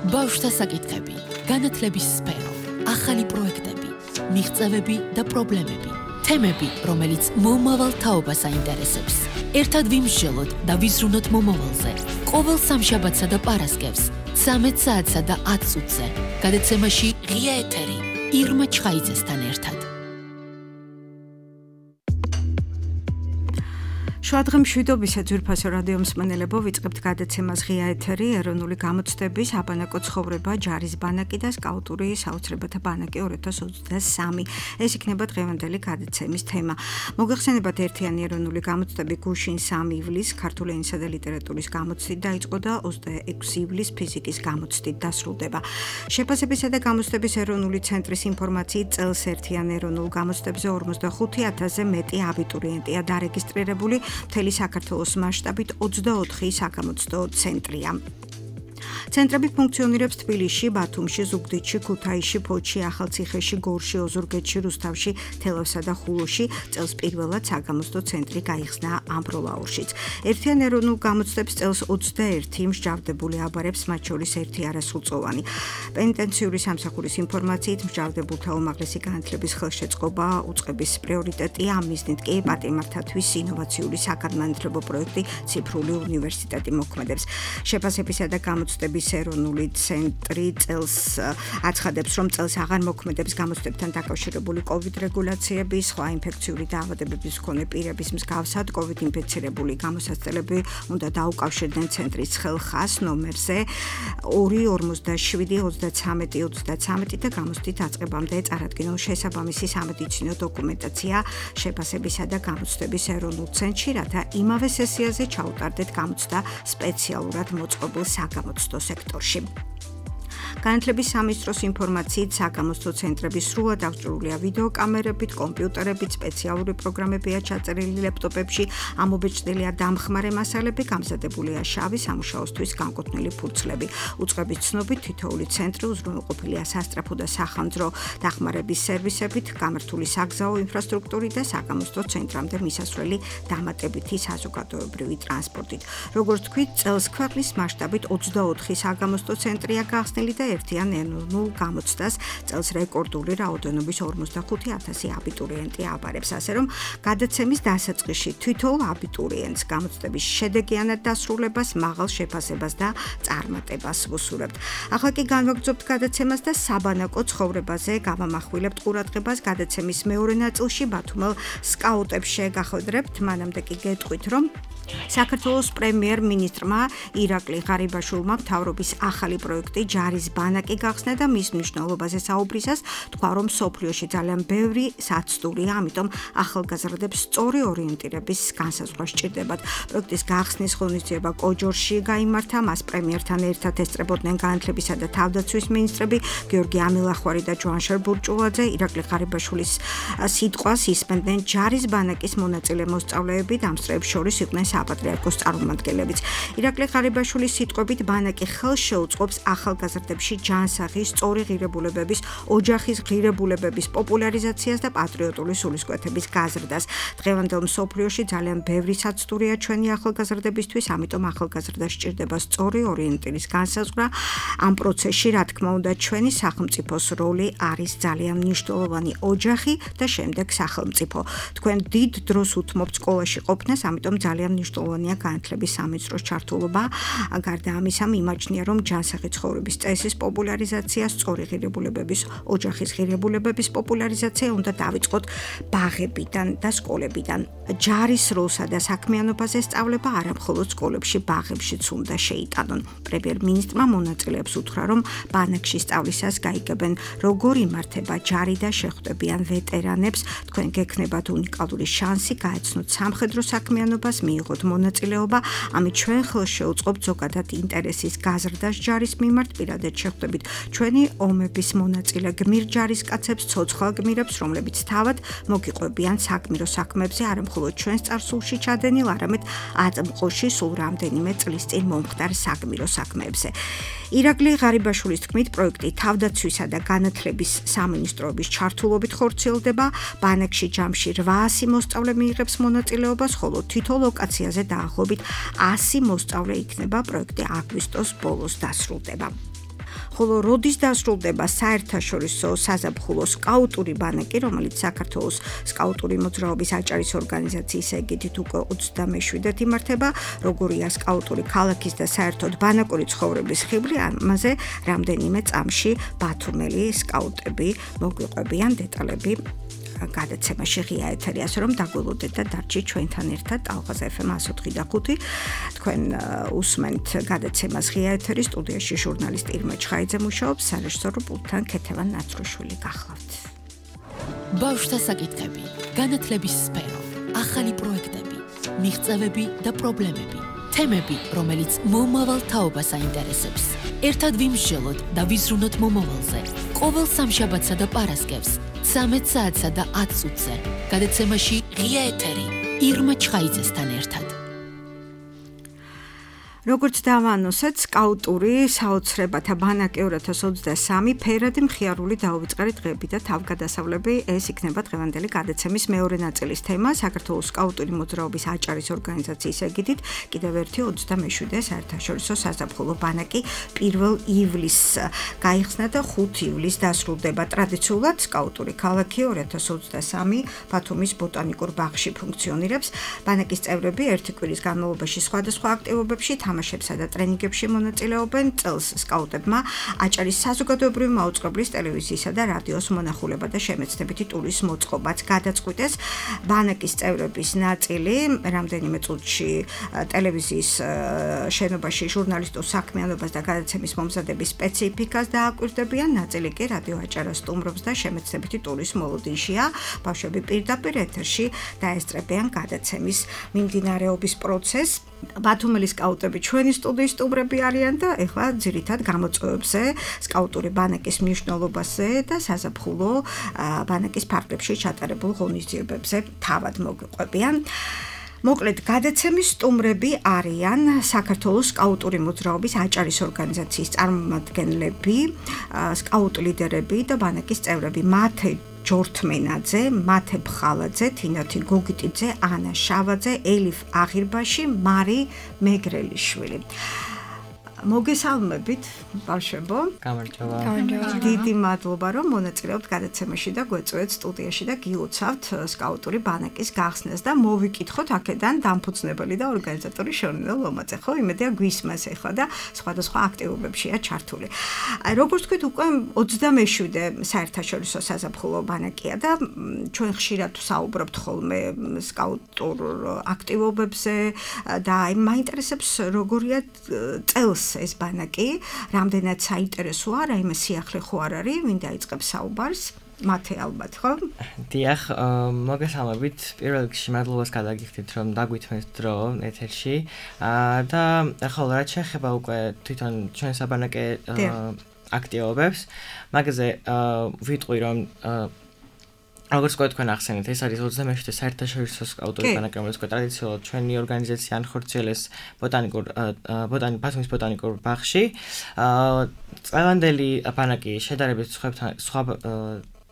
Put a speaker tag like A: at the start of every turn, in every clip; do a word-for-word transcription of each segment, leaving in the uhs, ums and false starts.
A: ბავშვთა საკითხები, განათლების სფერო, ახალი პროექტები, მიღწევები და პრობლემები, თემები, რომელიც მომავალ თაობას აინტერესებს. ერთად ვიმსჯელოთ და ვიზრუნოთ მომავალზე. ყოველ სამშაბათსა და პარასკევს, ცამეტ საათსა და ათ წუთზე. გადაცემაში ღია ეთერი, ირმა ჩხაიძესთან ერთად.
B: შუადღე მშვიდობისა ძვირფასო რადიო მსმენელებო, ვიწყებთ გადაცემას ღია ეთერი, ეროვნული გამოცდების აბანაკო ცხოვრება, ჯარის ბანაკი და სკაუტური საოცრებათა ბანაკი ორი ათას ოცდასამი. ეს იქნება დღევანდელი გადაცემის თემა. მოგეხსენებათ ერთიანი ეროვნული გამოცდები გუშინ სამი ივლისს ქართული ენისა და ლიტერატურის გამოცდით დაიწყო და ოცდაექვსი ივლისს ფიზიკის გამოცდით დასრულდება. შეფასებისა და გამოცდების ეროვნული ცენტრის ინფორმაციით წელს ერთიან ეროვნულ გამოცდებზე ორმოცდახუთი ათასზე მეტი აბიტურიენტია დარეგისტრირებული. მთელი საქართველოს მასშტაბით ოცდაოთხი საგამოცდო ცენტრია. ცენტრები ფუნქციონირებს თბილისში, ბათუმში, ზუგდიდში, ქუთაისში, ფოთში, ახალციხეში, გორში, ოზურგეთში, რუსთავში, თელავსა და ხულოში. წელს პირველად საგამოცდო ცენტრი გაიხსნა ამბროლაურშიც. ერთიან ეროვნულ გამოცდებს წელს ოცდაერთი მსჯავრდებული აბარებს, მათ შორის ერთი არასრულწლოვანი. პენიტენციური სამსახურის ინფორმაციით მსჯავრდებულთა უმაღლესი განათლების ხელშეწყობა უწყების პრიორიტეტია, ამ მიზნით კი პატიმართათვის ინოვაციური საგანმანათლებლო პროექტი ციფრული უნივერსიტეტი მოქმედებს. შეფასებისა და გამოცდების ეროვნული ცენტრი წელს აცხადებს, რომ წელს აღარ მოქმედებს გამოცდებთან დაკავშირებული კოვიდ რეგულაციები, სხვა ინფექციური დაავადებების მქონე პირების მსგავსად კოვიდ ინფიცირებული გამოსაცდელები უნდა დაუკავშირდნენ ცენტრის ხელხას ნომერზე ორი ორმოცდაშვიდი ოცდაცამეტი ოცდაცამეტი და გამოცდით დაწყებამდე წარადგინონ შესაბამისი სამედიცინო დოკუმენტაცია შეფასებისა და გამოცდების ეროვნულ ცენტრში, რათა იმავე სესიაზე ჩაუტარდეთ გამოცდა სპეციალურად მოწყობილ საგამოცდო სექტორში. განათლების სამინისტროს ინფორმაციით საგამოცდო ცენტრების სრულად აღჭურვილია ვიდეოკამერებით, კომპიუტერებით, სპეციალური პროგრამებია ჩაწერილი ლეპტოპებში, ამობეჭდილია დამხმარე მასალები, გამზადებულია შავი სამუშაოსთვის განკუთვნილი ფურცლები. უწყების ცნობით თითოეული ცენტრი უზრუნველყოფილია სასწრაფო და სახანძრო დახმარების სერვისებით, გამართული საგზაო ინფრასტრუქტურით და საგამოცდო ცენტრამდე მისასვლელი დამატებითი საზოგადოებრივი ტრანსპორტით. როგორც თქვით, წელს ქვეყნის მასშტაბით ოცდაოთხი საგამოცდო ცენტრია გახსნილი და ერთიან ეროვნულ გამოცდას წელს რეკორდული რაოდენობის ორმოცდახუთი ათასი აბიტურიენტი აბარებს, ასე რომ გადაცემის დასაწყისში თითოეულ აბიტურიენტს გამოცდების შედეგიანად დასრულებას, მაღალ შეფასებას და წარმატებას ვუსურებთ. ახლა კი განვაგრძობთ გადაცემას და საბანაკო ცხოვრებაზე გავამახვილებთ ყურადღებას გადაცემის მეორე ნაწილში ბათუმელ სკაუტებს შეგახვედრებთ, მანამდე კი გეტყვით, რომ საქართველოს პრემიერ-მინისტრმა ირაკლი ღარიბაშვილმა მთავრობის ახალი პროექტი ჯარის ბანაკი გახსნა და მის მნიშვნელობაზე საუბრისას თქვა, რომ მსოფლიოში ძალიან ბევრი საცდურია, ამიტომ ახალგაზრდებს სწორი ორიენტირების განსაზღვრა სჭირდებათ. პროექტის გახსნის ღონისძიება კოჯორში გაიმართა, მას პრემიერთან ერთად ესწრებოდნენ განათლებისა და თავდაცვის მინისტრები გიორგი ამილახვარი და ჯვანშერ ბურჭულაძე. ირაკლი ღარიბაშვილის სიტყვას ისმენდნენ ჯარის ბანაკის მონაწილე მოსწავლეები და ამ სწრებს შორის იყვნენ საპატრიარქოს წარმომადგენლებიც. ირაკლი ღარიბაშვილის სიტყვებით ბანაკი ხელს შეუწყობს ახალგაზრდებში ჯანსაღი, სწორი ღირებულებების, ოჯახის ღირებულებების პოპულარიზაციას და პატრიოტული სულისკვეთების გაზრდას. დღევანდელ მსოფლიოში ძალიან ბევრი საცდურია ჩვენი ახალგაზრდებისთვის, ამიტომ ახალგაზრდას სჭირდება სწორი ორიენტირის განსაზღვრა. ამ პროცესში, რა თქმა უნდა, ჩვენი სახელმწიფოს როლი არის ძალიან მნიშვნელოვანი, ოჯახი და შემდეგ სახელმწიფო. თქვენ დიდ დროს უთმობთ სკოლაში ყოფნას, ამიტომ ძალიან მნიშვნელოვანია განათლების სამინისტროს ჩართულობა. გარდა ამისა, მიმაჩნია, რომ ჯანსაღი ცხოვრების წესის პოპულარიზაცია, სწორი ღირებულებების, ოჯახის ღირებულებების პოპულარიზაცია უნდა დავიწყოთ ბაღებიდან და სკოლებიდან. ჯარის როლსა და საქმიანობაზე სწავლება არა მხოლოდ სკოლებში, ბაღებშიც უნდა შეიტანონ. პრემიერ-მინისტრმა მონაწილეებს უთხრა, რომ ბანაკში სწავლისას გაიგებენ, როგორ იმართება ჯარი და შეხვდებიან ვეტერანებს. თქვენ გექნებათ უნიკალური შანსი გაეცნოთ სამხედრო საქმიანობას, მიიღოთ მონაწილეობა, ამით ჩვენ ხელს შეუწყობთ ზოგადად ინტერესის გაზრდას ჯარის მიმართ, პირადად შეხვდებით ჩვენი ომების მონაწილე გმირ ჯარისკაცებს, ცოცხალ გმირებს, რომლებიც თავად მოგიყვებიან საგმირო საქმეებზე, არა მხოლოდ ჩვენს წარსულში ჩადენილ, არამედ აწმყოში სულ რამდენიმე წლის წინ მომხდარ საგმირო საქმეებზე. ირაკლი ღარიბაშვილის თქმით, პროექტი თავდაცვისა და განათლების სამინისტროების ჩართულობით ხორციელდება. ბანაკში ჯამში რვაასი მოსწავლე მიიღებს მონაწილეობას, ხოლო თითო ლოკაციაზე დაახლოებით ასი მოსწავლე იქნება. პროექტი აგვისტოს ბოლოს დასრულდება. ხოლო როდის დასრულდება საერთაშორისო საზაფხულო სკაუტური ბანაკი, რომელიც საქართველოს სკაუტური მოძრაობის აჭარის ორგანიზაციის ეგიდით უკვე ოცდამეშვიდედ იმართება, როგორია სკაუტური ქალაქის და საერთოდ ბანაკური ცხოვრების ხიბლი, ამაზე რამდენიმე წამში ბათუმელი სკაუტები მოგვიყვებიან დეტალები გადაცემაში ღია ეთერი, ასე რომ დაგველოდეთ და დარჩით ჩვენთან ერთად ალღაზ ეფ ემ εκατო ოთხი და ხუთი. თქვენ უსმენთ გადაცემას ღია ეთერი, სტუდიაში ჟურნალისტი ირმა ჩხაიძე მუშაობს, სარეჟისორო პულტთან ქეთევან ნაცრუშვილი გახლავთ.
A: ბავშვთა საკითხები, განათლების სფერო, ახალი პროექტები, მიღწევები და პრობლემები, თემები, რომელიც მომავალ თაობას აინტერესებს. ერთად ვიმსჯელოთ და ვიზრუნოთ მომავალზე. ყოველ სამშაბათსა და პარასკევს ცამეტ საათსა და ათ წუთზე. გადაცემაში ღია ეთერი ირმა ჩხაიძესთან ერთად.
B: როგორც დავანონსეთ, სკაუტური საოცრებათა ბანაკი ორი ათას ოცდასამი ფერადი მხიარული დაუვიწყარი დღეები და თავგადასავლები, ეს იქნება დღევანდელი გადაცემის მეორე ნაწილის თემა. საქართველოს სკაუტური მოძრაობის აჭარის ორგანიზაციის ეგიდით კიდევ ერთი ოცდამეშვიდე საერთაშორისო საზაფხულო ბანაკი პირველ ივლისს გაიხსნა და ხუთი ივლისს დასრულდება. ტრადიციულად სკაუტური ქალაქი ორი ათას ოცდასამი ბათუმის ბოტანიკურ ბაღში ფუნქციონირებს. ბანაკის წევრები ერთი კვირის განმავლობაში სხვადასხვა აქტივობებში თამაშებსა და ტრენინგებში მონაწილეობენ. წელს სკაუტებმა აჭარის საზოგადოებრივი მაუწყებლის ტელევიზიისა და რადიოს მონახულება და შემეცნებითი ტურის მოწყობაც გადაწყვიტეს. ბანაკის წევრების ნაწილი რამდენიმე წუთში ტელევიზიის შენობაში ჟურნალისტურ საქმიანობას და გადაცემის მომზადების სპეციფიკას დააკვირდებიან, ნაწილი კი რადიო აჭარას სტუმრობს და შემეცნებითი ტურის მოლოდინშია. ბავშვები პირდაპირ ეთერში დაესწრებიან გადაცემის მიმდინარეობის პროცესს. ბათუმელი სკაუტები ჩვენი სტუდიის სტუმრები არიან და ეხლა ძირითად გამოწვევებზე, სკაუტური ბანაკის მნიშვნელობაზე და საზაფხულო ბანაკის ფარგლებში ჩატარებულ ღონისძიებებზე თავად მოგვიყვებიან. მოკლედ, გადაცემის სტუმრები არიან საქართველოს სკაუტური მოძრაობის აჭარის ორგანიზაციის წარმომადგენლები, სკაუტ ლიდერები და ბანაკის წევრები. მათე ჯორთმენაძე, მათე ბხალაძე, თინათი გოგიტიძე, ანა შავაძე, ელიფ აღირბაში, მარი მეგრელიშვილი. მოგესალმებით, ბავშვებო.
C: გამარჯობა.
B: დიდი მადლობა, რომ მონაწილეობთ გადაცემაში და გვეწვევთ სტუდიაში და გილოცავთ სკაუტური ბანაკის გახსნას და მოვიკითხოთ აქედან დამფუძნებელი და ორგანიზატორი შორნელ ლომაძე. ხო, იმედია გვისმას ეხლა და სხვადასხვა აქტივობებშია ჩართული. როგორც თქვით, უკვე ოცდამეშვიდე საერთაშორისო საზაფხულო ბანაკია და ჩვენ ხშირად საუბრობთ ხოლმე სკაუტურ აქტივობებზე და აი მაინტერესებს როგორია წელს ეს ბანაკი, რამდენად საინტერესოა, რაიმე სიახლე ხო არ არის, ვინ დაიწყებს საუბარს? მათე ალბათ, ხო?
C: დიახ, მოგესალმებით. პირველ რიგში მადლობას გადაგიხდით, რომ დაგვითმეთ დრო ეთერში. და ახლა რაც შეეხება უკვე თვითონ ჩვენ საბანაკე აქტივობებს, მაგაზე ვიტყვი, რომ როგორც თქვენ ახსენეთ, ეს არის ოცდამეშვიდე საერთაშორისო სკაუტური ბანაკი, რომელიც ტრადიციულად ჩვენი ორგანიზაცია ანხორციელეს ბოტანიკურ ბათუმის ბოტანიკურ ბაღში. წლევანდელი ბანაკი შედარებით სხვა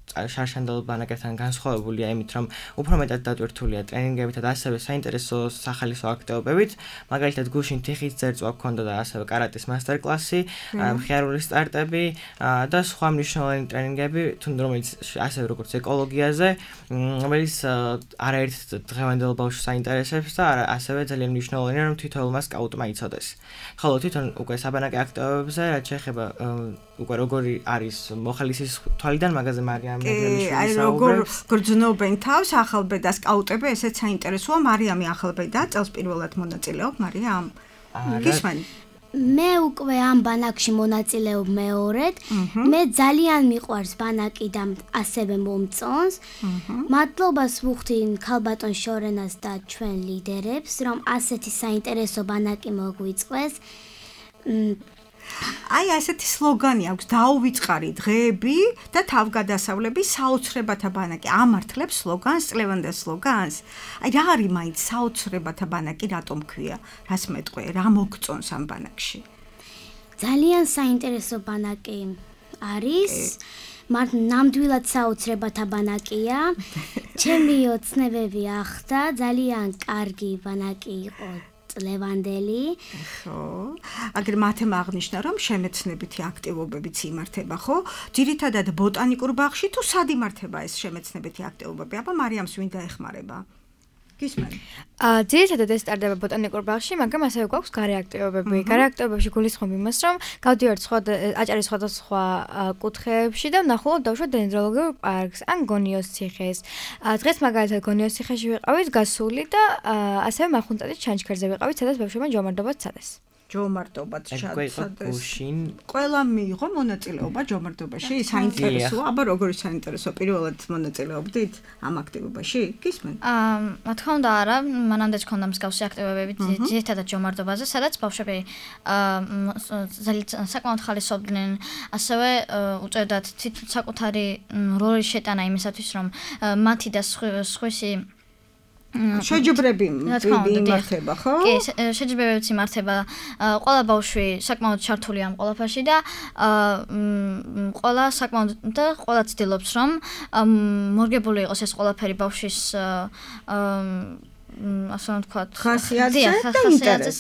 C: შარშანდელ ბანაკებთან განსხვავებულია იმით, რომ უფრო მეტად დატვირთულია ტრენინგებით და ასევე საინტერესო სახალისო აქტივობებით. მაგალითად, გუშინ თიხის ძერწვა გქონდა და ასევე კარატის მასტერ-კლასი, მხიარული სტარტები და სხვა მნიშვნელოვანი ტრენინგები, თუნდაც რომელიც ასევე როგორც ეკოლოგიაზე, რომელიც არაერთ დღევანდელ ბავშვს საინტერესებს და ასევე ძალიან მნიშვნელოვანია, რომ თითოეულმა სკაუტმა იცოდეს. ხოლო თვითონ უკვე საბანაკე აქტივობებზე, რაც შეეხება უკვე როგორი არის მოხალისის თვალიდან მაგაზე მარიამ
B: აი როგორ გრძნობენ თავს ახალბედა სკაუტები, ესეც საინტერესოა. მარიამი ახალბედა წელს პირველად მონაწილეობ, მარიამ. გისმენ?
D: მე უკვე ამ ბანაკში მონაწილეობ მეორედ. მე ძალიან მიყვარს ბანაკი და ასევე მომწონს. მადლობას ვუხდი ქალბატონ შორენას და ჩვენ ლიდერებს, რომ ასეთი საინტერესო ბანაკი მოგვიწყვეს.
B: აი ასეთი სლოგანი აქვს, დაუვიწყარი დღეები და თავგადასავლები, საოცრებათა ბანაკი. ამართლებს სლოგანს, წლევანდელ სლოგანს. აი რა არის მაინც საოცრებათა ბანაკი, რატომ ქვია? რას მეტყვი, რა მოგწონს ამ ბანაკში?
D: ძალიან საინტერესო ბანაკი არის. მათ ნამდვილად საოცრებათა ბანაკია. ჩემი ოცნებები ახდა, ძალიან კარგი ბანაკი იყო წლევანდელი.
B: ხო. აგერ მათემ აღნიშნა, რომ შემეცნებითი აქტივობებიც იმართება, ხო? ძირითადად ბოტანიკურ ბაღში თუ სად იმართება ეს შემეცნებითი აქტივობები? აბა მარიამს ვინ დაეხმარება? გისმენ?
E: აა ძირითადად ეს ტარდება ბოტანიკურ ბაღში, მაგრამ ასევე გვაქვს გარე აქტივობები. გარე აქტივობებში გულისხმობ იმას, რომ გავდივართ სხვა აჭარის სხვადასხვა კუთხეებში და ვნახულობ დავუშვათ დენდროლოგიურ პარკს ან გონიოს ციხეს. დღეს მაგალითად გონიოს ციხეში ვიყავით გასული და ასევე მახუნწადის ჩანჩქერზე ვიყავით, სადაც ბავშვებმა ჯომარდობა სცადეს.
B: ჯომარდობაც
C: ჩადეს.
B: ყველა მიიღო მონაწილეობა ჯომარდობაში, საინტერესოა, აბა როგორი საინტერესო პირველად მონაწილეობდით ამ აქტივობაში? გისმენ?
F: აა, რა თქმა უნდა, არა, მანამდე გქონდა მსგავსი აქტივობები ძირითადად ჯომარდობაზე, სადაც ბავშვები აა ძალიან საკმაოდ ხალისობდნენ, ასევე უწევდათ საკუთარი როლის შეტანა იმისათვის, რომ მათი და სხვისი
B: შეჯიბრები იმართება, ხო?
F: კი, შეჯიბრებებიც იმართება. ყველა ბავშვი საკმაოდ ჩართული ამ ყველაფერში და ყველა საკმაოდ და ყველა ცდილობს, რომ მორგებული იყოს ეს ყველაფერი ბავშვის ასე ვთქვათ,
B: ხასიათზე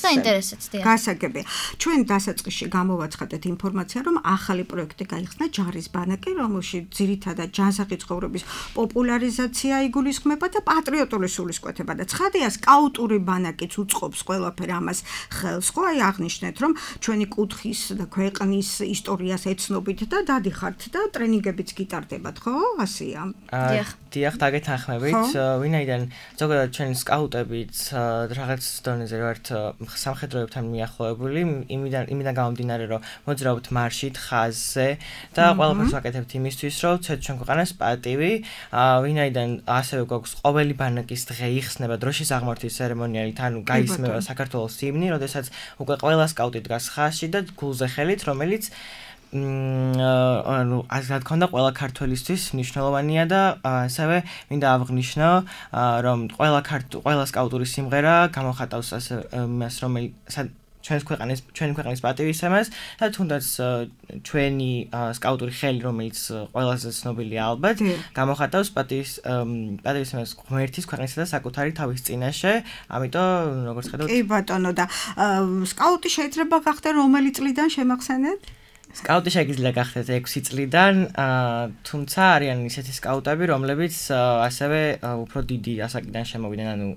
F: და ინტერესიც.
B: გასაგებია. ჩვენ დასაწყისში გამოვაცხადეთ ინფორმაცია, რომ ახალი პროექტი გაიხსნა ჯარის ბანაკი, რომელშიც ძირითადად ჯანსაღი ცხოვრების პოპულარიზაცია იგულისხმება და პატრიოტული სულისკვეთება და ცხადია, სკაუტური ბანაკიც უწყობს ყველაფერ ამას ხელს, ხო? აი აღნიშნეთ, რომ ჩვენი კუთხის და ქვეყნის ისტორიას ეცნობით და დადიხართ და ტრენინგებიც გიტარდებათ, ხო? ასეა.
C: დიახ, დიახ, დაგეთანხმებით. ვინაიდან ზოგადად ჩვენ სკაუტებიც რაღაც დონეზე ვართ სამხედროებთან მიახლოებული, იმიდან იმიდან გამომდინარე, რომ მოძრაობთ მარშით, ხაზზე და ყველაფერს ვაკეთებთ იმისთვის, რომ ცეთ ჩვენ ქვეყანას პატივი, ვინაიდან ასევე გვაქვს ყოველი ბანაკის დღე იხსნება დროშის აღმართვის ცერემონიალით, ანუ გაისმევა საქართველოს ჰიმნი, როდესაც უკვე ყველა სკაუტი დგას ხაზში და გულზე ხელით, რომელიც ანუ ასე თქონდა ყველა ქართველისთვის მნიშვნელოვანია და ასევე მინდა აღვნიშნო რომ ყველა ყველა სკაუტური სიმღერა გამოხატავს ასე იმას რომელიც ჩვენს ქვეყნის ჩვენი ქვეყნის პატივისცემას და თუნდაც ჩვენი სკაუტური ხელი რომელიც ყველაზე ცნობილია ალბათ გამოხატავს პატივის პატივისცემას ღმერთის ქვეყნისა და საკუთარი თავის წინაშე ამიტომ როგორც ხედავთ
B: კი ბატონო და სკაუტი შეიძლება გახდეს რომელი წლიდან შემახსენეთ
C: სკაუტი შეიძლება გახდეთ ექვსი წლიდან, თუმცა არიან ისეთი სკაუტები, რომლებიც ასევე უფრო დიდი ასაკიდან შემოვიდნენ, ანუ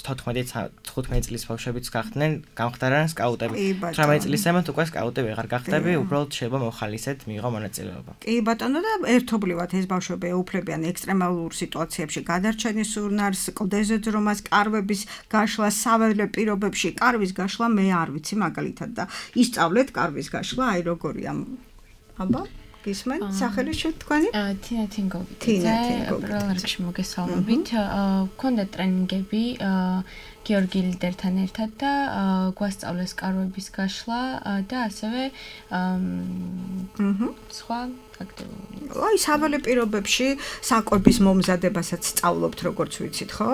C: თოთხმეტი წლის ბავშვებიც გახდნენ, გამხდარან სკაუტები. თვრამეტი წლისემდე უკვე სკაუტი ვეღარ გახდები, უბრალოდ შეიძლება მოხალისეთ, მიიღო მონაწილეობა.
B: კი ბატონო და ერთობლივად ეს ბავშვები ეუფლებიან ექსტრემალურ სიტუაციებში გადარჩენის სურნარს, კლდეზე ძრომას, კარვების გაშლას, საველე პირობებში, კარვის გაშლა მე არ ვიცი მაგალითად და ისწავლეთ კარვის გაშლა, აი როგორი აბა გისმენ სახელი შეთქვანი
G: თინა თინგოვიძე პირველ რიგში მოგესალმებით გქონდა ტრენინგები გიორგი ლიდერთან ერთად და გვასწავლეს კარვების გაშლა და ასევე სხვა აქტივობები
B: აი საველე პირობებში საკვების მომზადებასაც სწავლობთ როგორც ვიცით ხო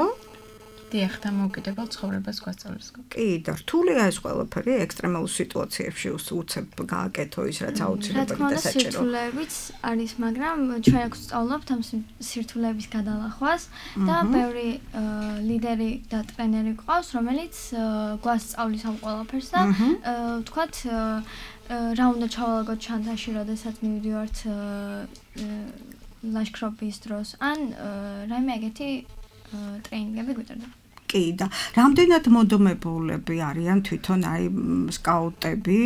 G: დიახ, დამოუკიდებელ ცხოვრებას გვასწავლის.
B: კი, და რთულია ეს ყველაფერი ექსტრემალურ სიტუაციებში უცებ გააკეთო ის რაც აუცილებელი და საჭირო.
H: სირთულეებიც არის, მაგრამ ჩვენ აქ ვსწავლობთ ამ სირთულეების გადალახვას და ბევრი ლიდერი და ტრენერი გვყავს, რომელიც გვასწავლის ამ ყველაფერს და ვთქვათ რა უნდა ჩავალაგოთ ჩანთაში, როდესაც მივიდივართ ლაშქრობის დროს ან რაიმე ეგეთი ტრენინგები გვიტარდება.
B: კი და რამდენად მოდომებულები არიან თვითონ აი სკაუტები,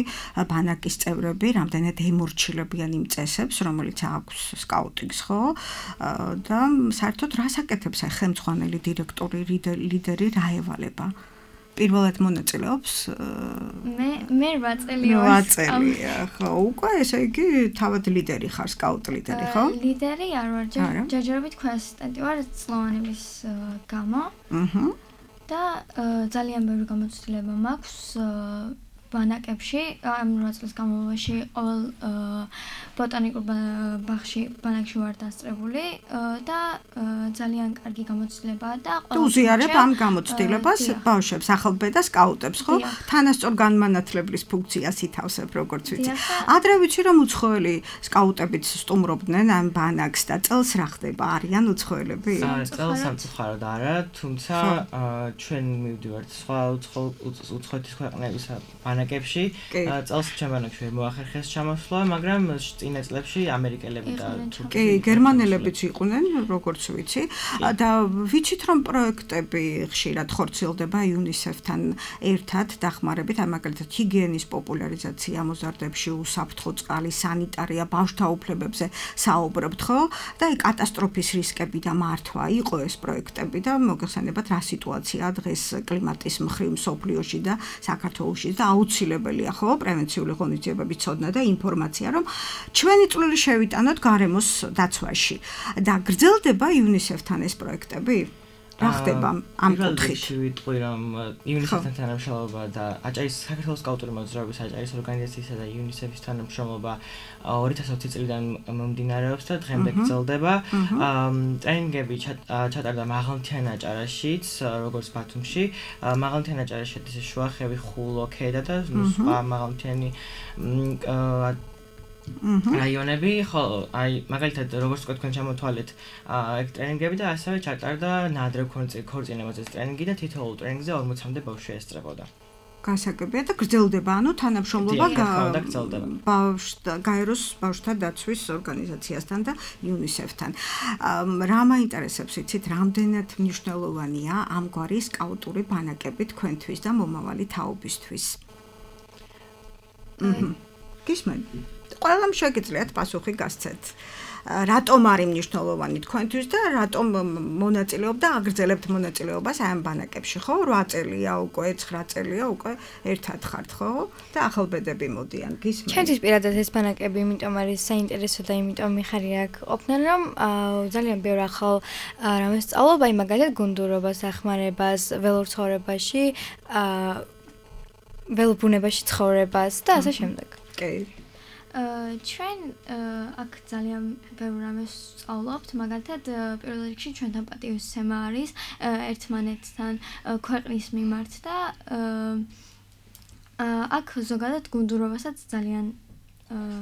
B: ბანაკის წევრები, რამდენად ემორჩილებიან იმ წესებს, რომელიც აქვს სკაუტინგს, ხო? და საერთოდ რას აკეთებს აი ხელმძღვანელი დირექტორი, ლიდერი, რა ევალება? პირველად მონაწილეობს
H: მე მე რვა წელი ვარ.
B: რვა წელია, ხო, უკვე ესე იგი თავად ლიდერი ხარ, სკაუტ ლიდერი, ხო?
H: ლიდერი არ ვარ, ჯერჯერობით ქვე ასისტენტი ვარ წლოვანების გამო. აჰა. და ძალიან ბევრი გამოცდილება მაქვს ბანაკებში, ამ რვა წლის განმავლობაში ყოველ ბოტანიკურ ბაღში ბანაკში ვარ დასწრებული და ძალიან კარგი გამოცდილებაა და
B: ყველა უზიარებ ამ გამოცდილებას ბავშვებს, ახალბე და სკაუტებს, ხო? თანასწორ განმანათლებლის ფუნქციას ითავსებ, როგორც ვიცი. ადრე ვიცი რომ უცხოელი სკაუტებიც სტუმრობდნენ ამ ბანაკს და წელს რა ხდება? არიან უცხოელები?
C: წელს სამწუხაროდ არა, თუმცა ჩვენ მივდივართ სხვა უცხოეთის ქვეყნების ბანაკებში. წელს ჩემ ბანაკში ვერ მოახერხეს ჩამოსვლა, მაგრამ წინა წლებში ამერიკელები და
B: კი, გერმანელებიც იყვნენ, როგორც ვიცი. და ვიცით რომ პროექტები ხშირად ხორციელდება იუნისეფთან ერთად დახმარებით, აი მაგალითად ჰიგიენის პოპულარიზაცია მოზარდებში, უსაფრთხო წყალი, სანიტარია, ბავშვთა უფლებებზე საუბრობთ, ხო? და აი კატასტროფის რისკები და მართვა იყო ეს პროექტები და მოგეხსენებათ რა სიტუაციაა დღეს კლიმატის მხრივ მსოფლიოში და საქართველოში და აუცილებელია, ხო, პრევენციული ღონისძიებების ცოდნა და ინფორმაცია, რომ ჩვენი წვლილი შევიტანოთ გარემოს დაცვაში და გრძელდება იუნისეფთან ეს პროექტები? რა ხდება ამ კუთხით?
C: ვიტყვი რომ იუნისეფთან თანამშრომლობა და აჭარის საქართველოს სკაუტური მოძრაობის აჭარის ორგანიზაციისა და იუნისეფის თანამშრომლობა ორი ათას ოცი წლიდან მომდინარეობს და დღემდე გრძელდება. ტრენინგები ჩატარდა მაღალმთიან აჭარაშიც, როგორც ბათუმში. მაღალმთიან აჭარაში ეს შუახევი, ხულო, ქედა და სხვა მაღალმთიანი რაიონები, ხო, აი მაგალითად როგორც თქვა თქვენ ჩამოთვალეთ ეგ ტრენინგები და ასევე ჩატარდა ნადრევ ქორწინებაზე ტრენინგი და თითოეულ ტრენინგზე ორმოცამდე ბავშვი ესწრებოდა.
B: გასაგებია და გრძელდება, ანუ თანამშრომლობა ბავშვთა გაეროს ბავშვთა დაცვის ორგანიზაციასთან და იუნისეფთან. რა მაინტერესებს იცით, რამდენად მნიშვნელოვანია ამგვარი სკაუტური ბანაკები თქვენთვის და მომავალი თაობისთვის? გისმენ? ყველამ შეგიძლიათ პასუხი გასცეთ. რატომ არის მნიშვნელოვანი თქვენთვის და რატომ მონაწილეობთ და აგრძელებთ მონაწილეობას ამ ბანაკებში, ხო? რვა წელია უკვე, ცხრა წელია უკვე ერთად ხართ, ხო? და ახალბედები მოდიან, გისმენთ?
E: ჩემთვის პირადად ეს ბანაკები იმიტომ არის საინტერესო და იმიტომ მიხარი აქ ყოფნა, რომ ძალიან ბევრ ახალ რამეს სწავლობ, აი მაგალითად გუნდურობას, ახმარებას, ველორცხოვრებაში, ველობუნებაში ცხოვრებას და ასე შემდეგ.
B: კი.
H: ჩვენ აქ ძალიან ბევრ რამეს სწავლობთ, მაგალითად პირველ რიგში ჩვენთან პატივისცემა არის ერთმანეთთან ქვეყნის მიმართ და აქ ზოგადად გუნდურობასაც ძალიან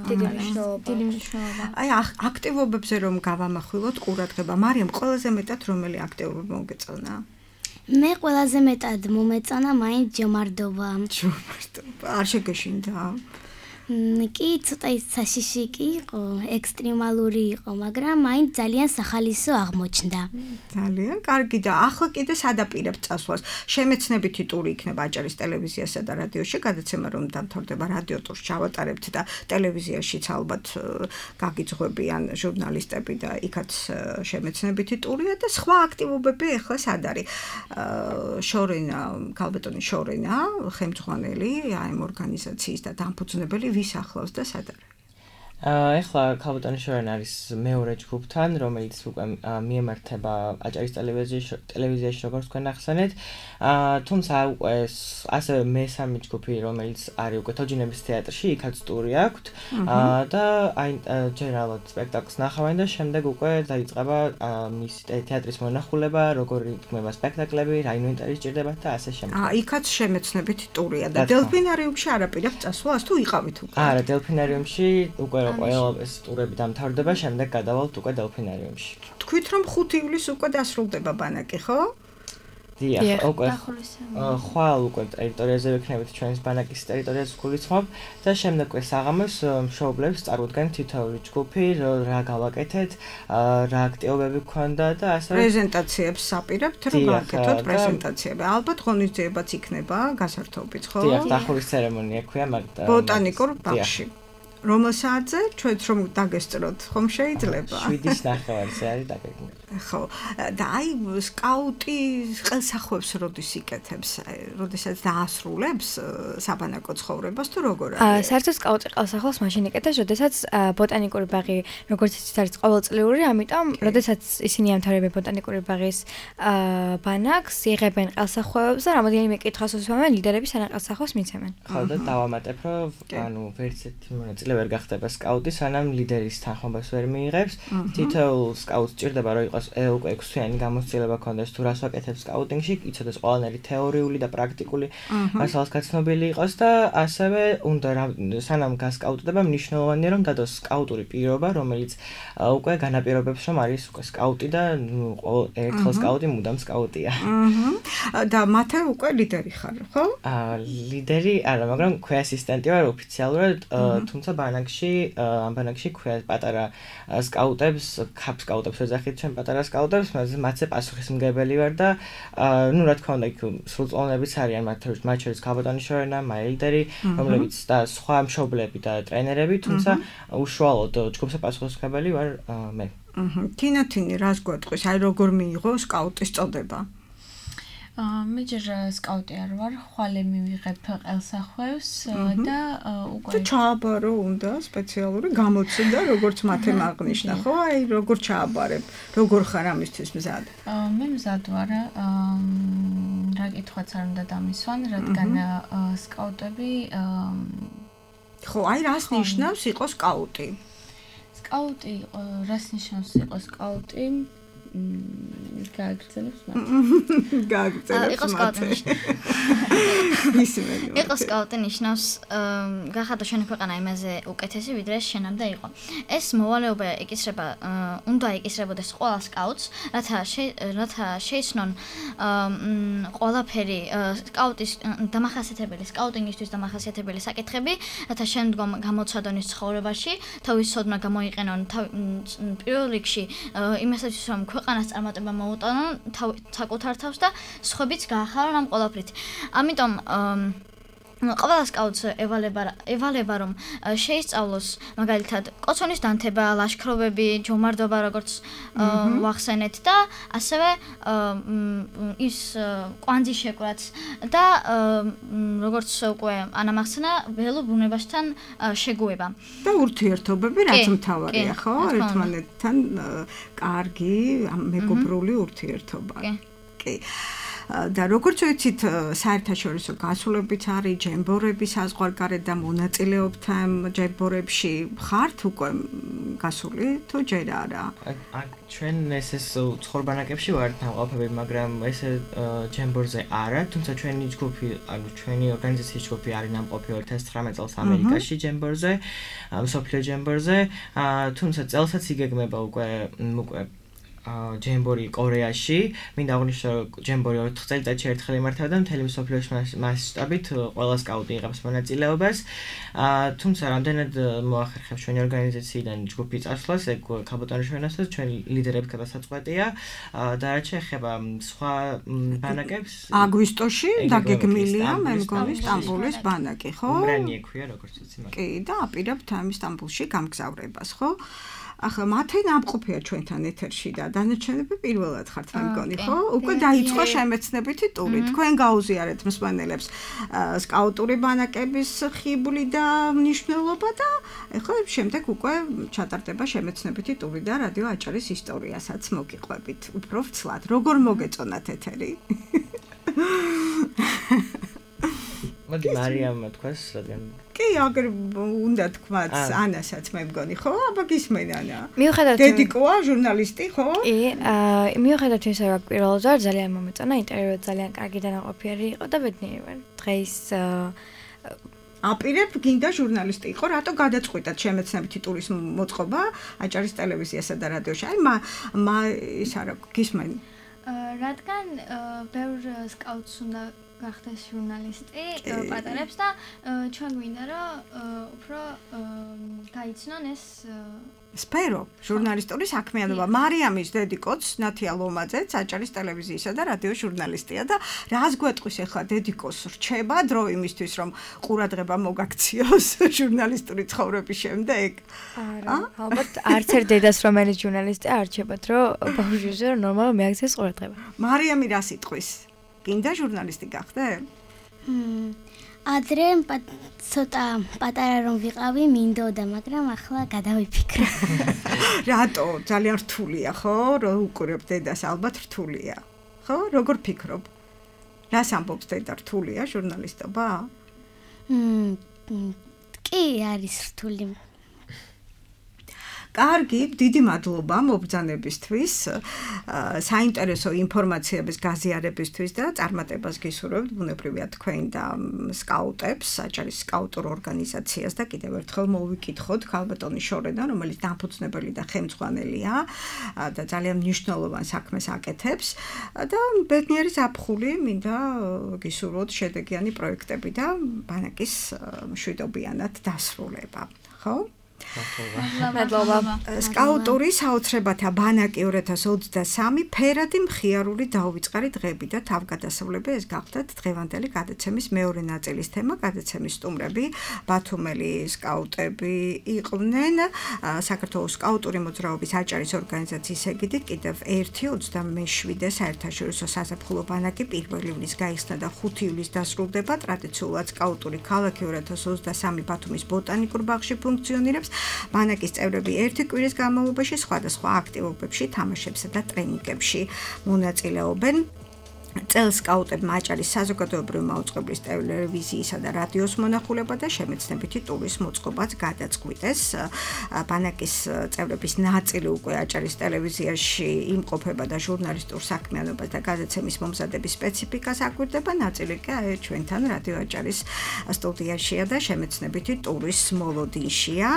H: დიდი მნიშვნელობა.
B: აი აქტივობებზე რომ გავამახვილოთ ყურადღება, მარიამ ყველაზე მეტად რომელი აქტივობა მოგეწონა?
D: მე ყველაზე მეტად მომეწონა მაინც ჯომარდობა.
B: ჯომარდობა. არ შეგეშინდა?
D: კი, ცოტა საშიში კი იყო, ექსტრემალური იყო, მაგრამ მაინც ძალიან სახალისო აღმოჩნდა.
B: ძალიან კარგი და ახლა კიდე სადაპირებთ წასვლას. შემეცნებითი ტური იქნება აჭარის ტელევიზიასა და რადიოში, გადაცემა რომ დამთავრდება რადიო ტურს ჩავატარებთ და ტელევიზიაშიც ალბათ გაგიძღვებიან ჟურნალისტები და იქაც შემეცნებითი ტურია და სხვა აქტივობები ახლა სად არის? შორენა, ქალბატონი შორენა, ხელმძღვანელი ამ ორგანიზაციის და დამფუძნებელი ვის ახლავს და სად არის?
C: ეხლა ქალბატონი შორენა არის მეორე ჯგუფთან, რომელიც უკვე მიემართება აჭარის ტელევიზიაში, როგორც თქვენ ახსენეთ. თუმცა უკვე ასევე მესამე ჯგუფი, რომელიც არის უკვე თოჯინების თეატრში, იქაც ტური აქვთ და აი ჯენერალურად სპექტაკლს ნახავენ და შემდეგ უკვე დაიწყება მის თეატრის მონახულება, როგორი იქმნება სპექტაკლები, რა ინვენტარი სჭირდებათ და ასე შემდეგ.
B: აა, იქაც შემეცნებითი ტურია და დელფინარიუმში არაპირებთ წასვლას თუ იყავით უკვე?
C: არა, დელფინარიუმში უკვე ყველა ეს ტურები დამთავრდება, შემდეგ გადავალთ უკვე დელფინარიუმში.
B: თქვით რომ ხუთი ივლისს უკვე დასრულდება ბანაკი, ხო?
C: დიახ, უკვე ხვალ უკვე ტერიტორიაზე ვიქნებით ჩვენს ბანაკის ტერიტორიაზე გულისხმობ და შემდეგ უკვე საღამოს მშობლებს წარუდგენთ თითოეული ჯგუფი, რა გავაკეთეთ, რა აქტივობები გქონდა და ასე
B: პრეზენტაციებს საპირებთ, რომ გავაკეთოთ პრეზენტაციები. ალბათ ღონისძიებაც იქნება გასართობიც, ხო?
C: დიახ, დახურვის ცერემონია ქვია მაგ
B: ბოტანიკურ ბაღში. რომელ საათზე ჩვენც რომ დაგესწროთ, ხომ შეიძლება?
C: შვიდის ნახევარზე არის დაგეგმილი.
B: ხო და აი სკაუტი ყელსახვევს როდის იკეთებს, როდესაც დაასრულებს საბანაკო ცხოვრებას თუ როგორ არის?
E: საერთოდ სკაუტი ყელსახვევს მაშინ იკეთებს, როდესაც ბოტანიკური ბაღი როგორც იცით არის ყოველწლიური, ამიტომ როდესაც ისინი ამთავრებენ ბოტანიკური ბაღის ბანაკს, იღებენ ყელსახვევებს და რამოდენიმე კითხვას უსვამენ, ლიდერები სანამ ყელსახვევს მიცემენ.
C: ხო და დავამატებ, რომ ანუ ვერც ერთი მონაწილე ვერ გახდება სკაუტი, სანამ ლიდერის თანხმობას ვერ მიიღებს. თითოეულ სკაუტს ჭირდება რომ იყოს უკვე ექვსთვიანი გამოცდილება ქონდეს თუ რას ვაკეთებს სკაუტინგში, იცოდეს ყველანაირი თეორიული და პრაქტიკული მასალას გაცნობილი იყოს და ასევე უნდა სანამ გასკაუტდება მნიშვნელოვანია რომ დადოს სკაუტური პირობა, რომელიც უკვე განაპირობებს რომ არის უკვე სკაუტი და ერთხელ სკაუტი მუდამ სკაუტია.
B: და მათე უკვე ლიდერი ხარ, ხო?
C: აა ლიდერი არა, მაგრამ ქვე ასისტენტი ვარ ოფიციალურად, თუმცა ბანაკში ამ ბანაკში ქვე პატარა სკაუტებს, ქაპ სკაუტებს ეძახით ჩვენ პატარა სკაუტებს, მათზე პასუხისმგებელი ვარ და ნუ რა თქმა უნდა იქ სრულწლოვნებიც არიან მათ მათ შორის ქალბატონი შორენა, მაილდერი, რომლებიც და სხვა მშობლები და ტრენერები, თუმცა უშუალოდ ჯგუფზე პასუხისმგებელი ვარ მე.
B: აჰა. თინათინი რას გვეტყვის? აი როგორ მიიღო სკაუტის წოდება?
G: მე ჯერ სკაუტი არ ვარ, ხვალე მივიღებ ყელსახვევს და უკვე
B: თუ ჩააბარო უნდა სპეციალური გამოცდა, როგორც მათემ აღნიშნა, ხო? აი როგორ ჩააბარებ, როგორ ხარ ამისთვის მზად?
G: მე მზად ვარ, რა კითხვაც არ უნდა დამისვან, რადგან სკაუტები
B: ხო, აი რას ნიშნავს იყო სკაუტი?
G: სკაუტი რას ნიშნავს იყო სკაუტი? გააგრძელებს მათ.
B: გააგრძელებს
F: იყო სკაუტი.
B: ისმენი.
F: იყო სკაუტი ნიშნავს გახადა შენი ქვეყანა იმაზე უკეთესი ვიდრე შენამდე იყო. ეს მოვალეობა ეკისრება, უნდა ეკისრებოდეს ყველა სკაუტს, რათა რათა შეიცნონ ყველაფერი სკაუტის დამახასიათებელი, სკაუტინგისთვის დამახასიათებელი საკითხები, რათა შემდგომ გამოცადონ ის ცხოვრებაში, თავის სოდნა გამოიყენონ პირველ რიგში იმასაც რომ ქვეყანას წარმატება მოუტანონ საკუთარ თავს და სხვებიც გაახარონ ამ ყველაფრით. ამიტომ ყველა სკაუტს ევალება ევალება რომ შეისწავლოს მაგალითად კოცონის დანთება, ლაშქრობები, ჯომარდობა როგორც ვახსენეთ და ასევე ის კვანძის შეკვრაც და როგორც უკვე ანამახსნა ველურ ბუნებასთან შეგუება.
B: და ურთიერთობები რაც მთავარია, ხო? ერთმანეთთან კარგი მეგობრული ურთიერთობა. კი. და როგორც ვიცით, საერთაშორისო გასვლებიც არის, ჯემბორები საზღვარგარეთ და მონაწილეობთ ამ ჯემბორებში. ხართ უკვე გასული თუ ჯერ არა?
C: ჩვენ ეს ცხოვრბანაკებში ვართ ნამყოფები, მაგრამ ეს ჯემბორზე არა, თუმცა ჩვენი ჯგუფი, ანუ ჩვენი ორგანიზაციის ჯგუფი არის ნამყოფი ორი ათას ცხრამეტ წელს ამერიკაში ჯემბორზე, მსოფლიო ჯემბორზე, თუმცა წელსაც იგეგმება უკვე უკვე ჯემბორი კორეაში. მინდა აღნიშნო, რომ ჯემბორი ოთხ წელიწადში ერთხელ იმართება და მთელი მსოფლიოს მასშტაბით ყველა სკაუტი იღებს მონაწილეობას. თუმცა რამდენად მოახერხებს ჩვენი ორგანიზაციიდან ჯგუფი წასვლას, ეგ ქალბატონი შენასაც ჩვენ ლიდერებს გადასაწყვეტია და რაც შეეხება სხვა ბანაკებს
B: აგვისტოში დაგეგმილია მე მგონი სტამბოლის ბანაკი, ხო?
C: უმრანი ექვია როგორც ვიცი მაგრამ.
B: კი და აპირებთ ამ სტამბოლში გამგზავრებას, ხო? ახლა მათე ნამყოფია ჩვენთან ეთერში და დანარჩენები პირველად ხართ მე მგონი, ხო? უკვე დაიწყო შემეცნებითი ტური. თქვენ გაუზიარეთ მსმენელებს სკაუტური ბანაკების ხიბლი და მნიშვნელობა და ახლა შემდეგ უკვე ჩატარდება შემეცნებითი ტური და რადიო აჭარის ისტორიასაც მოგიყვებით. უფრო ვცლად, როგორ მოგეწონათ ეთერი?
C: მოდი მარიამმა თქვას, რადგან
B: კი, აგერ უნდა თქვათ ანასაც მე მგონი, ხო? აბა გისმენ ანა.
E: მიუხედავად
B: დედიკოა ჟურნალისტი, ხო?
E: კი, მიუხედავად იმისა, რომ პირველად ვარ, ძალიან მომეწონა, ინტერვიუ ძალიან კარგი და ნაყოფიერი იყო და ბედნიერი ვარ. დღეს
B: აპირებ გინდა ჟურნალისტი იყო, რატო გადაწყვიტათ შემეცნებითი ტურის მოწყობა აჭარის ტელევიზიასა და რადიოში? აი მა მა ის არა გისმენ.
H: რადგან ბევრ სკაუტს უნდა გახდეს ჟურნალისტი პატარებს და ჩვენ გვინდა რომ უფრო გაიცნონ ეს
B: სფერო, ჟურნალისტური საქმიანობა. მარიამის დედიკოც ნათია ლომაძეც აჭარის ტელევიზიისა და რადიოს ჟურნალისტია და რას გვეტყვის ახლა დედიკოს რჩება დრო იმისთვის რომ ყურადღება მოგაქციოს ჟურნალისტური ცხოვრების შემდეგ?
E: არა, ალბათ არც ერთ დედას რომელიც ჟურნალისტია არჩებათ რომ ბავშვზე ნორმალურად მიაქციეს ყურადღება.
B: მარიამი რას იტყვის? გინდა ჟურნალისტი გახდე?
D: ადრე ცოტა პატარა რომ ვიყავი, მინდოდა, მაგრამ ახლა გადავიფიქრე.
B: რატო? ძალიან რთულია, ხო? რომ უყურებ დედას, ალბათ რთულია. ხო? როგორ ფიქრობ? რას ამბობს დედა, რთულია ჟურნალისტობა?
D: კი, არის რთული.
B: კარგი, დიდი მადლობა მობრძანებისთვის, საინტერესო ინფორმაციების გაზიარებისთვის და წარმატებას გისურვებთ ბუნებრივია თქვენ და სკაუტებს, აჭარის სკაუტურ ორგანიზაციას და კიდევ ერთხელ მოვიკითხოთ ქალბატონი შორენა, რომელიც დამფუძნებელი და ხელმძღვანელია და ძალიან მნიშვნელოვან საქმეს აკეთებს და ბედნიერი ზაფხული მინდა გისურვოთ შედეგიანი პროექტები და ბანაკის მშვიდობიანად დასრულება, ხო?
E: მადლობა.
B: სკაუტური საოცრებათა ბანაკი ორი ათას ოცდასამი ფერადი მხიარული დაუვიწყარი დღეები და თავგადასავლები ეს გახდათ დღევანდელი გადაცემის მეორე ნაწილის თემა. გადაცემის სტუმრები ბათუმელი სკაუტები იყვნენ საქართველოს სკაუტური მოძრაობის აჭარის ორგანიზაციის ეგიდით კიდევ ერთი ოცდამეშვიდე საერთაშორისო საზაფხულო ბანაკი პირველი ივნის გაიხსნა და ხუთი ივლისს დასრულდება. ტრადიციულად სკაუტური ქალაქი ორი ათას ოცდასამი ბათუმის ბოტანიკურ ბაღში ფუნქციონირებს. ბანაკის წევრები ერთი კვირის განმავლობაში სხვადასხვა აქტივობებში, თამაშებსა და ტრენინგებში მონაწილეობენ. წელს სკაუტებმა აჭარის საზოგადოებრივი მაუწყებლის ტელევიზიისა და რადიოს მონახულება და შემეცნებითი ტურის მოწყობაც გადაწყვიტეს. ბანაკის წევრების ნაწილი უკვე აჭარის ტელევიზიაში იმყოფება და ჟურნალისტურ საქმიანობას და გადაცემის მომზადების სპეციფიკას აკვირდება. ნაწილი კი აი ჩვენთან რადიო აჭარის სტუდიაშია და შემეცნებითი ტურის მოლოდინშია.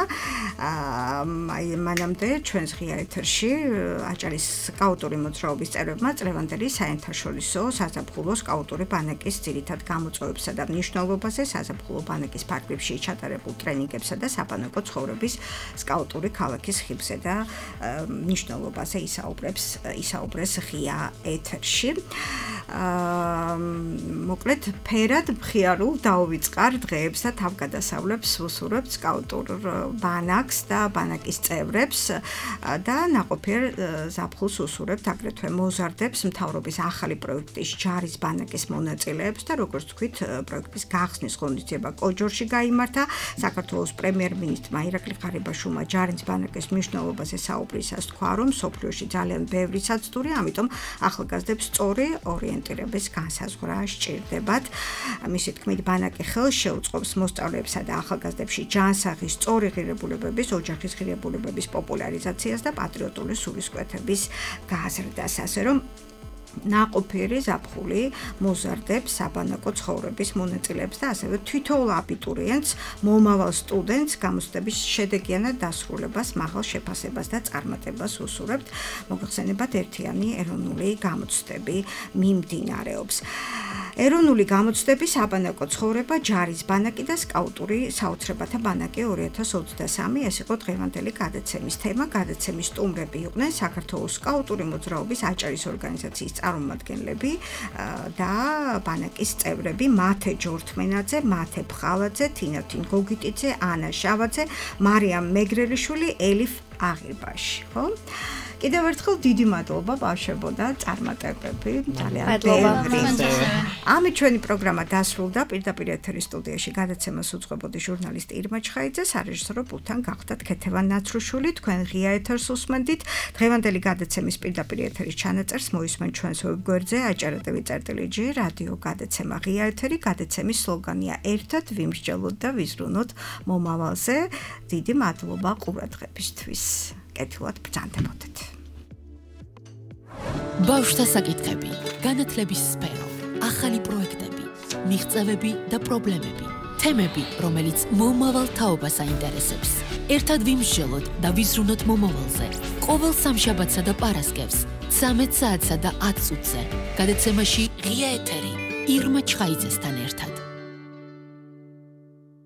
B: აი მანამდე ჩვენს ღია ეთერში აჭარის სკაუტური მოძრაობის წევრებმა წლევანდელი საერთაშორისო საზაფხულო სკაუტური ბანაკის ძირითად გამოწვევებსა და მნიშვნელობაზე, საზაფხულო ბანაკის ფარგლებში ჩატარებულ ტრენინგებსა და საბანაკო ცხოვრების სკაუტური ქალაქის ხიბზე და მნიშვნელობაზე ისაუბრებს ისაუბრეს ღია ეთერში. მოკლედ ფერად მხიარულ დაუვიწყარ დღეებს და თავგადასავლებს ვუსურვებთ სკაუტურ ბანაკს და ბანაკის წევრებს და ნაყოფიერ ზაფხულს უსურვებთ აგრეთვე მოზარდებს მთავრობის ახალი პროექტის ჯარის ბანაკის მონაწილეებს და როგორც თქვით პროექტის გახსნის ღონისძიება კოჯორში გაიმართა. საქართველოს პრემიერ-მინისტრმა ირაკლი ღარიბაშვილმა ჯარის ბანაკის მნიშვნელობაზე საუბრისას თქვა, რომ სოფლიოში ძალიან ბევრი საცდური, ამიტომ ახალგაზრდებს სწორი ორიენტირების განსაზღვრა სჭირდებათ. მისი თქმით, ბანაკი ხელს შეუწყობს მოსწავლეებსა და ახალგაზრდებში ჯანსაღის, სწორი ღირებულებების, ოჯახის ღირებულებების პოპულარიზაციას და პატრიოტული სულისკვეთების გაზრდას, ასე რომ ნაყოფიერი ზაფხული მოზარდებს საბანაკო ცხოვრების მონაწილეებს და ასევე თითოეულ აბიტურიენტს, მომავალ სტუდენტს გამოცდების შედეგიანად დასრულებას, მაღალ შეფასებას და წარმატებას უსურვებთ. მოგეხსენებათ ერთიანი ეროვნული გამოცდები მიმდინარეობს. ეროვნული გამოცდები საბანაკო ცხოვრება, ჯარის ბანაკი და სკაუტური საოცრებათა ბანაკი ორი ათას ოცდასამი ეს იყო დღევანდელი გადაცემის თემა. გადაცემის სტუმრები იყვნენ საქართველოს სკაუტური მოძრაობის აჭარის ორგანიზაციის წარმომადგენლები და ბანაკის წევრები მათე ჯორთმენაძე, მათე ფხალაძე, თინათინ გოგიტიძე, ანა შავაძე, მარიამ მეგრელიშვილი, ელიფ აღირბაში, ხო? კიდევ ერთხელ დიდი მადლობა ბავშვებო და წარმატებები. ძალიან ბევრი. ამით ჩვენი პროგრამა დასრულდა. პირდაპირ ეთერის სტუდიაში გადაცემას უძღვებოდი ჟურნალისტი ირმა ჩხაიძე, სარეჟისორო პულტთან გახდათ ქეთევან ნაცრუშვილი. თქვენ ღია ეთერს უსმენდით. დღევანდელი გადაცემის პირდაპირ ეთერის ჩანაწერს მოისმენთ ჩვენს ვებგვერდზე აჭარა.ტვ წერტილი ჯი რადიო გადაცემა ღია ეთერი. გადაცემის სლოგანია ერთად ვიმსჯელოთ და ვიზრუნოთ მომავალზე. დიდი მადლობა ყურადღებისთვის. კეთილად ბრძანდებოდეთ.
A: ბავშვთა საკითხები, განათლების სფერო, ახალი პროექტები, მიღწევები და პრობლემები, თემები, რომელიც მომავალ თაობას აინტერესებს. ერთად ვიმსჯელოთ და ვიზრუნოთ მომავალზე. ყოველ სამშაბათსა და პარასკევს, ცამეტ საათსა და ათ წუთზე. გადაცემაში ღია ეთერი, ირმა ჩხაიძესთან ერთად.